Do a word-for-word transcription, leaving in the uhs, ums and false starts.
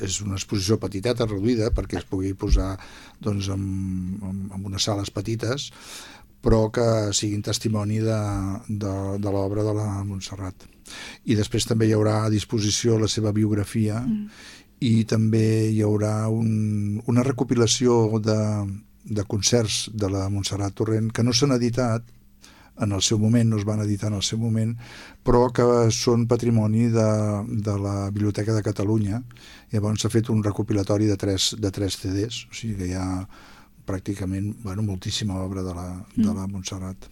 és una exposició petiteta, reduïda, perquè es pugui posar doncs, en, en, en unes sales petites, però que siguin testimoni de, de, de l'obra de la Montserrat. I després també hi haurà a disposició la seva biografia mm. i també hi haurà un, una recopilació de, de concerts de la Montserrat Torrent que no s'han editat en el seu moment, no es van editar en el seu moment, però que són patrimoni de, de la Biblioteca de Catalunya. Llavors s'ha fet un recopilatori de tres, de tres C Ds, o sigui que hi ha pràcticament bueno, moltíssima obra de la, de la Montserrat.